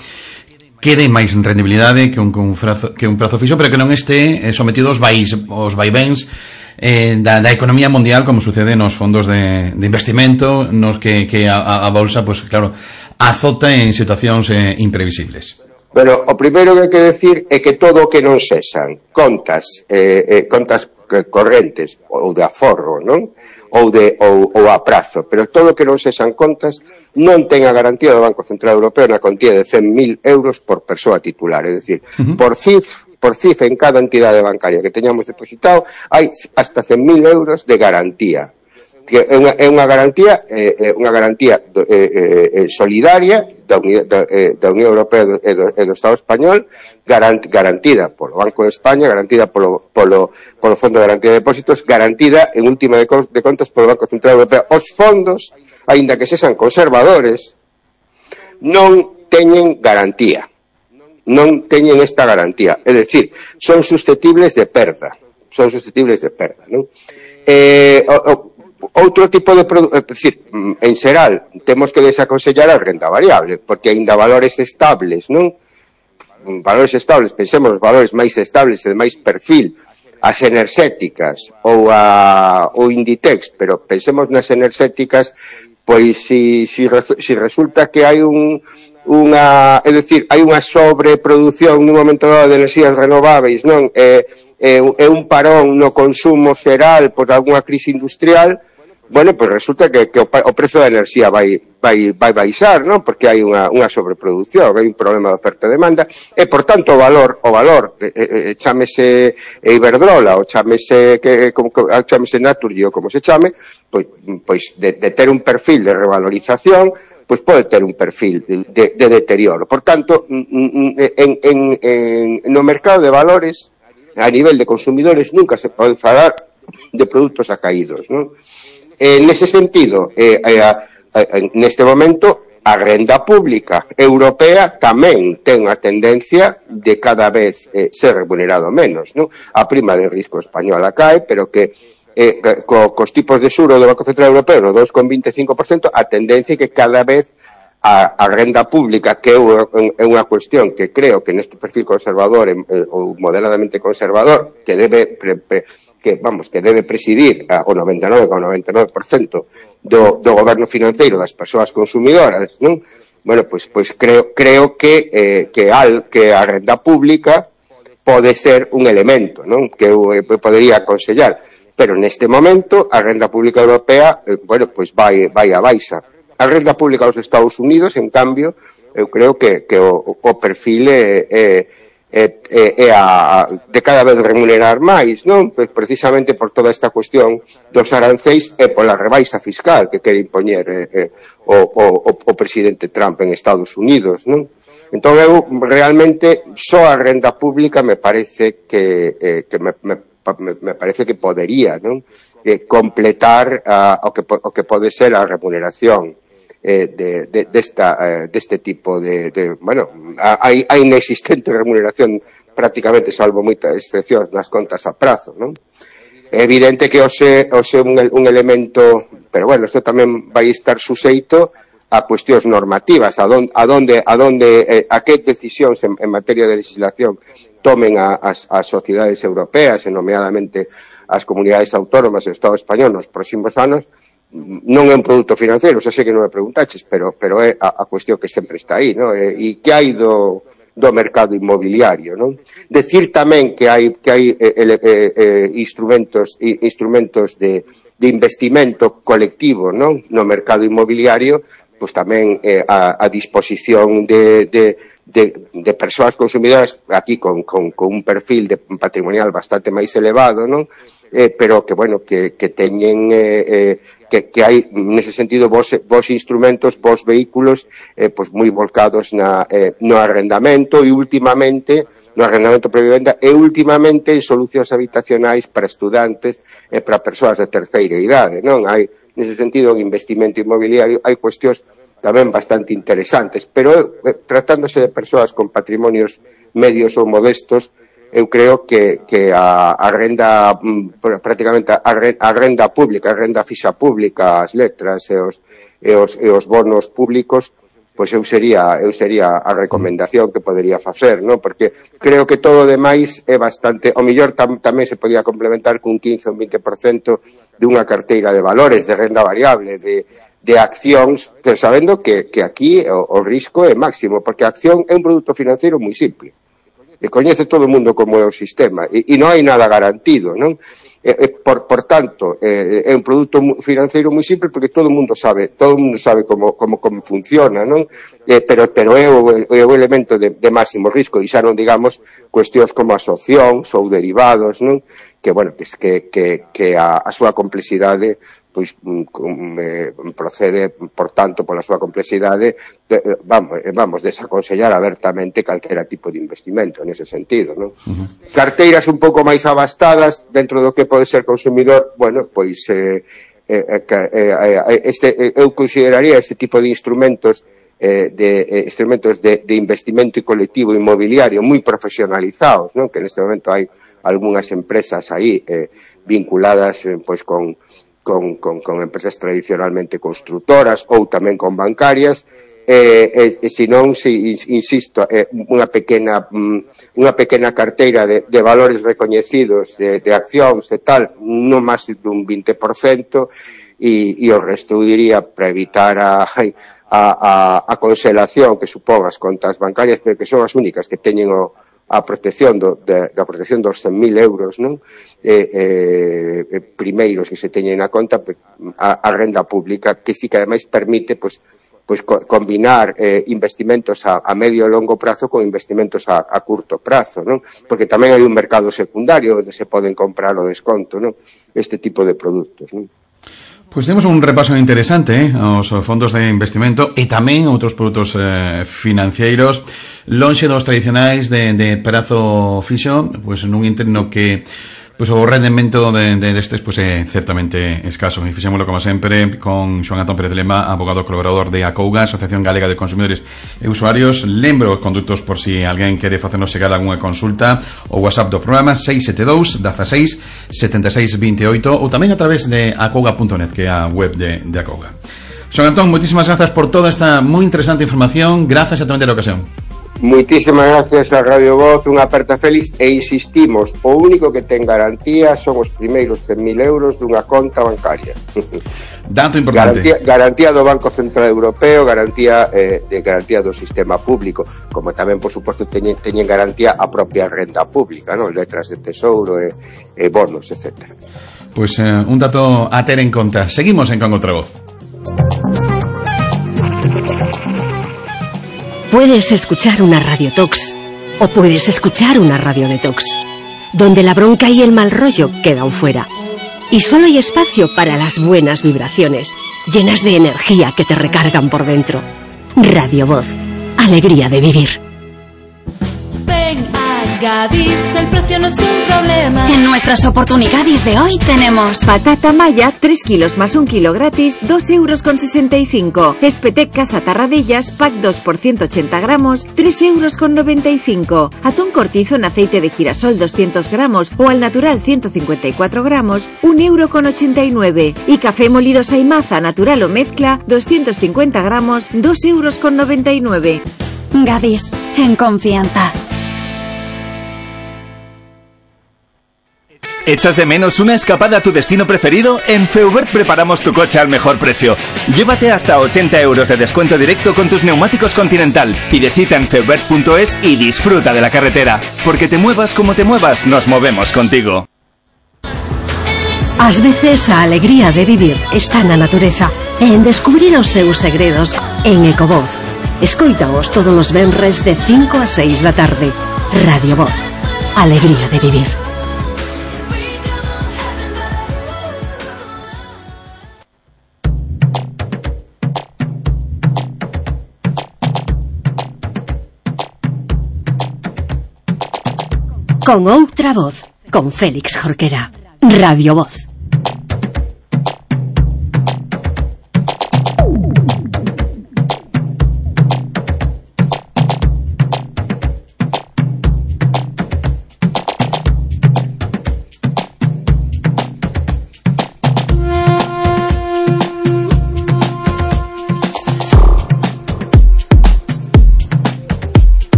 que dé máis rendibilidade que un prazo fixo, pero que non este sometido aos vaivens da economía mundial, como sucede nos fondos de investimento, nos que a bolsa, pues claro, azota en situacións imprevisibles. Bueno, o primeiro que hai que decir é que todo o que non sexan contas correntes ou de aforro, non? Ou a prazo, pero todo o que non sexan contas non ten a garantía do Banco Central Europeo na contía de 100.000 euros por persoa titular, é dicir, por CIF en cada entidade bancaria que teñamos depositado hai hasta 100.000 euros de garantía, que é unha garantía solidaria da Unión Europea e do Estado Español, garantida polo Banco de España, garantida polo Fondo de Garantía de Depósitos, garantida en última de contas polo Banco Central Europeo. Os fondos, aínda que sexan conservadores, non teñen garantía, non teñen esta garantía, é dicir, son susceptibles de perda, non? Outro tipo de produto, é dicir, en xeral, temos que desaconsellar a renda variable, porque aínda valores estables, non? Valores estables, pensemos os valores máis estables e de máis perfil, as enerxéticas ou Inditex, pero pensemos nas enerxéticas, pois si resulta que hai é dicir, hai unha sobreproducción nun momento dado de enerxías renováveis, non? É un parón no consumo xeral por algunha crise industrial, bueno, pues resulta que o prezo da enerxía vai baixar, non? Porque hai unha sobreproducción, hai un problema de oferta e demanda, e, por tanto, o valor, chámese Iberdrola, ou chámese Naturgy, ou como se chame, pois de ter un perfil de revalorización, pois pode ter un perfil de deterioro. Por tanto, no mercado de valores, a nivel de consumidores, nunca se pode falar de produtos acaídos, non? Nese sentido, neste momento, a renda pública europea tamén ten a tendencia de cada vez ser remunerado menos, non? A prima de risco española cae, pero que cos tipos de xuro do Banco Central Europeo no 2,25%, a tendencia é que cada vez a renda pública, que é unha cuestión que creo que neste perfil conservador ou moderadamente conservador, que debe presidir o 99,99% do goberno financeiro das persoas consumidoras, non? Bueno, pois creo que a renda pública pode ser un elemento, non? Que eu podería aconsellar, pero neste momento a renda pública europea, bueno, pois vai a baixa. A renda pública dos Estados Unidos, en cambio, eu creo que o perfil é de cada vez remunerar máis, non? Precisamente por toda esta cuestión dos aranceis e pola rebaixa fiscal que quere impoñer o presidente Trump en Estados Unidos, non? Entón, eu realmente só a renda pública me parece que me parece que podería, non? Completar o que pode ser a remuneración deste tipo de bueno, hai inexistente remuneración prácticamente, salvo moitas excepcións nas contas a prazo, non? É evidente que ose un elemento, pero bueno, isto tamén vai estar suxeito a cuestións normativas, a que decisións en materia de legislación tomen as sociedades europeas, e nomeadamente as comunidades autónomas e o Estado español nos próximos anos. Non é un produto financeiro, xa sei que non me preguntaches, pero é a cuestión que sempre está aí, non? E que hai do mercado inmobiliario, non? Decir tamén que hai instrumentos de investimento colectivo, non? No mercado inmobiliario, pois tamén a disposición de persoas consumidoras aquí con un perfil patrimonial bastante máis elevado, non? Pero que, bueno, que teñen que hai, nese sentido, vos instrumentos, vos vehículos pois moi volcados no arrendamento e últimamente no arrendamento para vivenda e últimamente en solucións habitacionais para estudantes e para persoas de terceira idade, non? Hai, nese sentido, en investimento inmobiliario, hai cuestións tamén bastante interesantes, pero tratándose de persoas con patrimonios medios ou modestos, eu creo que a renda, prácticamente a renda pública, a renda fixa pública, as letras e os bonos públicos, pois eu sería a recomendación que podería facer, non? Porque creo que todo o demais é bastante, o mellor tamén se podía complementar cun 15 ou 20% dunha carteira de valores, de renda variable, de accións, pero sabendo que aquí o risco é máximo, porque a acción é un produto financeiro moi simple. E coñece todo o mundo como é o sistema e non hai nada garantido, non? Por tanto, é un produto financeiro moi simple porque todo o mundo sabe como funciona, non? Pero é o elemento de máximo risco, e xa non digamos cuestións como as opcións ou derivados, non? Que, bueno, que a súa complexidade pois procede, por tanto, pola súa complexidade, vamos desaconsellar abertamente calquera tipo de investimento nese sentido, non? Carteiras un pouco máis abastadas dentro do que pode ser consumidor, bueno, pois eu consideraría este tipo de instrumentos de investimento colectivo inmobiliario moi profesionalizados, non? Que neste momento hai algunhas empresas aí vinculadas pois con empresas tradicionalmente constructoras ou tamén con bancarias, e senón, insisto, unha pequena carteira de valores recoñecidos de accións e tal, non máis dun 20%, e o resto, eu diría, para evitar a conselación que supón as contas bancarias, pero que son as únicas que teñen o a protección da protección dos 100.000 euros, non? Primeiros que se teñen na conta a renda pública, que sí que ademais permite pois combinar investimentos a medio e longo prazo con investimentos a curto prazo, non? Porque tamén hai un mercado secundario onde se poden comprar o desconto, non? Este tipo de produtos, non? Pois temos un repaso interesante aos fondos de investimento e tamén outros produtos financeiros lonxe dos tradicionais de prazo fixo, pois nun interno que pois o rendemento destes pois é certamente escaso. E fixémoslo como sempre con Xoán Antón Pérez de Lema, abogado colaborador de Acouga, Asociación Galega de Consumidores e Usuarios. Lembro os condutos por si alguén quere facernos chegar algunha consulta, o WhatsApp do programa 672 16 76 28 ou tamén a través de acouga.net, que é a web de Acouga. Xoán Antón, moitísimas grazas por toda esta moi interesante información. Grazas a tamén da ocasión. Moitísimas gracias a Radio Voz, unha aperta feliz, e insistimos, o único que ten garantía son os primeiros 100.000 euros dunha conta bancaria. Dato importante. Garantía do Banco Central Europeo, garantía do sistema público, como tamén, por suposto, teñen garantía a propia renda pública, non? Letras de tesouro e bonos, etc. Pois un dato a ter en conta. Seguimos en Con Outra Voz. Puedes escuchar una Radio Tox o puedes escuchar una Radio Detox, donde la bronca y el mal rollo quedan fuera. Y solo hay espacio para las buenas vibraciones, llenas de energía que te recargan por dentro. Radio Voz, alegría de vivir. Ven a Gadis, el precio no es un problema. En nuestras oportunidades de hoy tenemos patata maya, 3 kilos más 1 kilo gratis, 2,65 €. Espetec Casa Tarradellas, pack 2 por 180 gramos, 3,95 €. Atún cortizo en aceite de girasol 200 gramos o al natural 154 gramos, 1,89 €. Y café molido Saimaza natural o mezcla, 250 gramos, 2,99 €. Gadis, en confianza. ¿Echas de menos una escapada a tu destino preferido? En Feubert preparamos tu coche al mejor precio. Llévate hasta 80 € de descuento directo con tus neumáticos Continental. Pide cita en feubert.es y disfruta de la carretera. Porque te muevas como te muevas, nos movemos contigo. Ás veces a alegría de vivir está na natureza e en descubrir os seus segredos en Ecovoz. Escóitaos todos os venres de 5 a 6 da tarde. Radio Voz, alegría de vivir. Con Outra Voz, con Félix Jorquera. Radio Voz.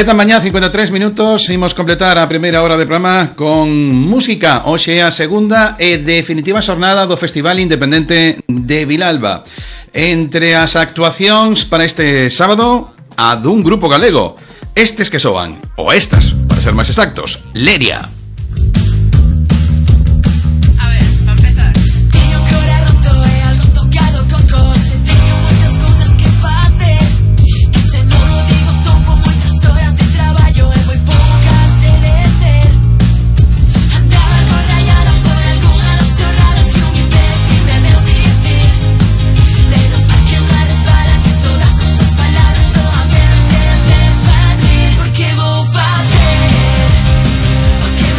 Da mañá, 53 minutos, imos completar a primeira hora de programa con música. Hoxe é a segunda e definitiva xornada do Festival Independente de Vilalba. Entre as actuacións para este sábado, a dun grupo galego. Estes que soan, ou estas, para ser máis exactos, Leria. Que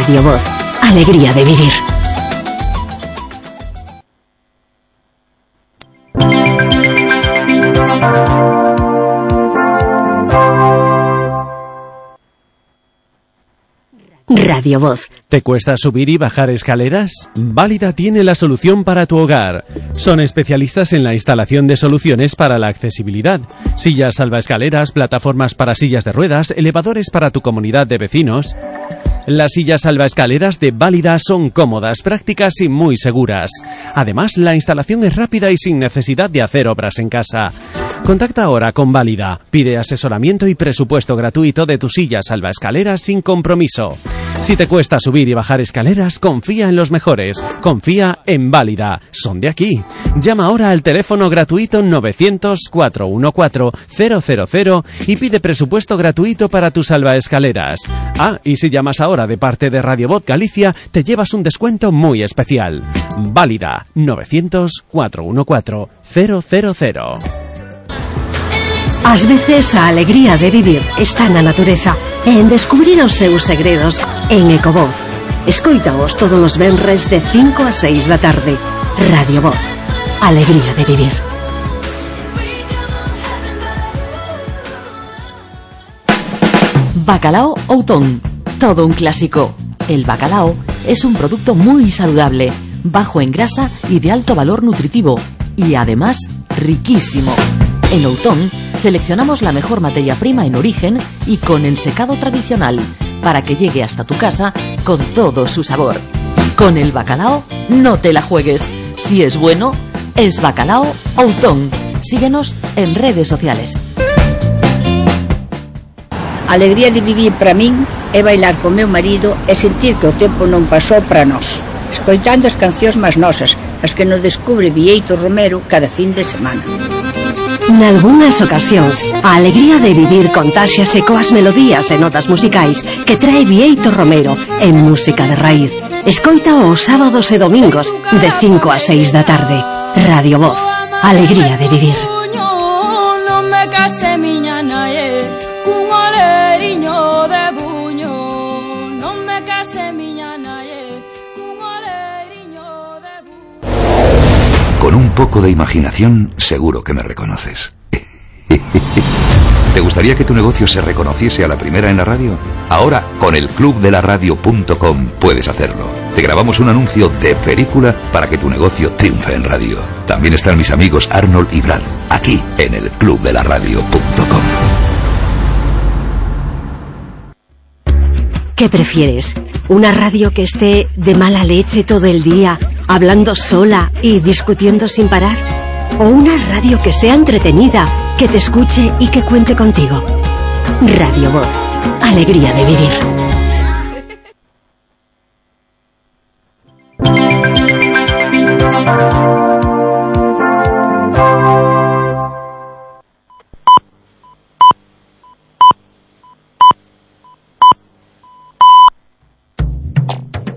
Radio Voz, alegría de vivir. Radio Voz. ¿Te cuesta subir y bajar escaleras? Válida tiene la solución para tu hogar. Son especialistas en la instalación de soluciones para la accesibilidad. Sillas salvaescaleras, plataformas para sillas de ruedas, elevadores para tu comunidad de vecinos. Las sillas salvaescaleras de Válida son cómodas, prácticas y muy seguras. Además, la instalación es rápida y sin necesidad de hacer obras en casa. Contacta ahora con Válida. Pide asesoramiento y presupuesto gratuito de tu silla salvaescaleras sin compromiso. Si te cuesta subir y bajar escaleras, confía en los mejores. Confía en Válida. Son de aquí. Llama ahora al teléfono gratuito 900-414-000 y pide presupuesto gratuito para tus salvaescaleras. Ah, y si llamas ahora de parte de Radio Voz Galicia, te llevas un descuento muy especial. Válida 900-414-000. Ás veces a alegría de vivir está na natureza e en descubrir os seus segredos en Ecovoz. Escoítaos todos os venres de 5 a 6 da tarde. Radio Voz, alegría de vivir. Bacalao Outón, todo un clásico. El bacalao es un producto muy saludable, bajo en grasa y de alto valor nutritivo, y además riquísimo. En Outón seleccionamos la mejor materia prima en origen y con el secado tradicional, para que llegue hasta tu casa con todo su sabor. Con el bacalao no te la juegues. Si es bueno, es Bacalao Outón. Síguenos en redes sociales. A alegría de vivir para min é bailar con meu marido e sentir que o tempo non pasou para nós, escoitando as cancións máis nosas, as que nos descubre Bieito Romero cada fin de semana. Nalgúnas ocasións, a alegría de vivir contáxiase coas melodías e notas musicais que trae Bieito Romero en música de raíz. Escoita os sábados e domingos de 5 a 6 da tarde. Radio Voz, alegría de vivir. Non me case miña nae cun oleriño de buño. Non me case miña nae cun oleriño de buño. Con un poco de imaginación, seguro que me reconoces. ¿Te gustaría que tu negocio se reconociese a la primera en la radio? Ahora, con el clubdelaradio.com puedes hacerlo. Te grabamos un anuncio de película para que tu negocio triunfe en radio. También están mis amigos Arnold y Brad, aquí en el clubdelaradio.com. ¿Qué prefieres? ¿Una radio que esté de mala leche todo el día, hablando sola y discutiendo sin parar? ¿O una radio que sea entretenida, que te escuche y que cuente contigo? Radio Voz, alegría de vivir.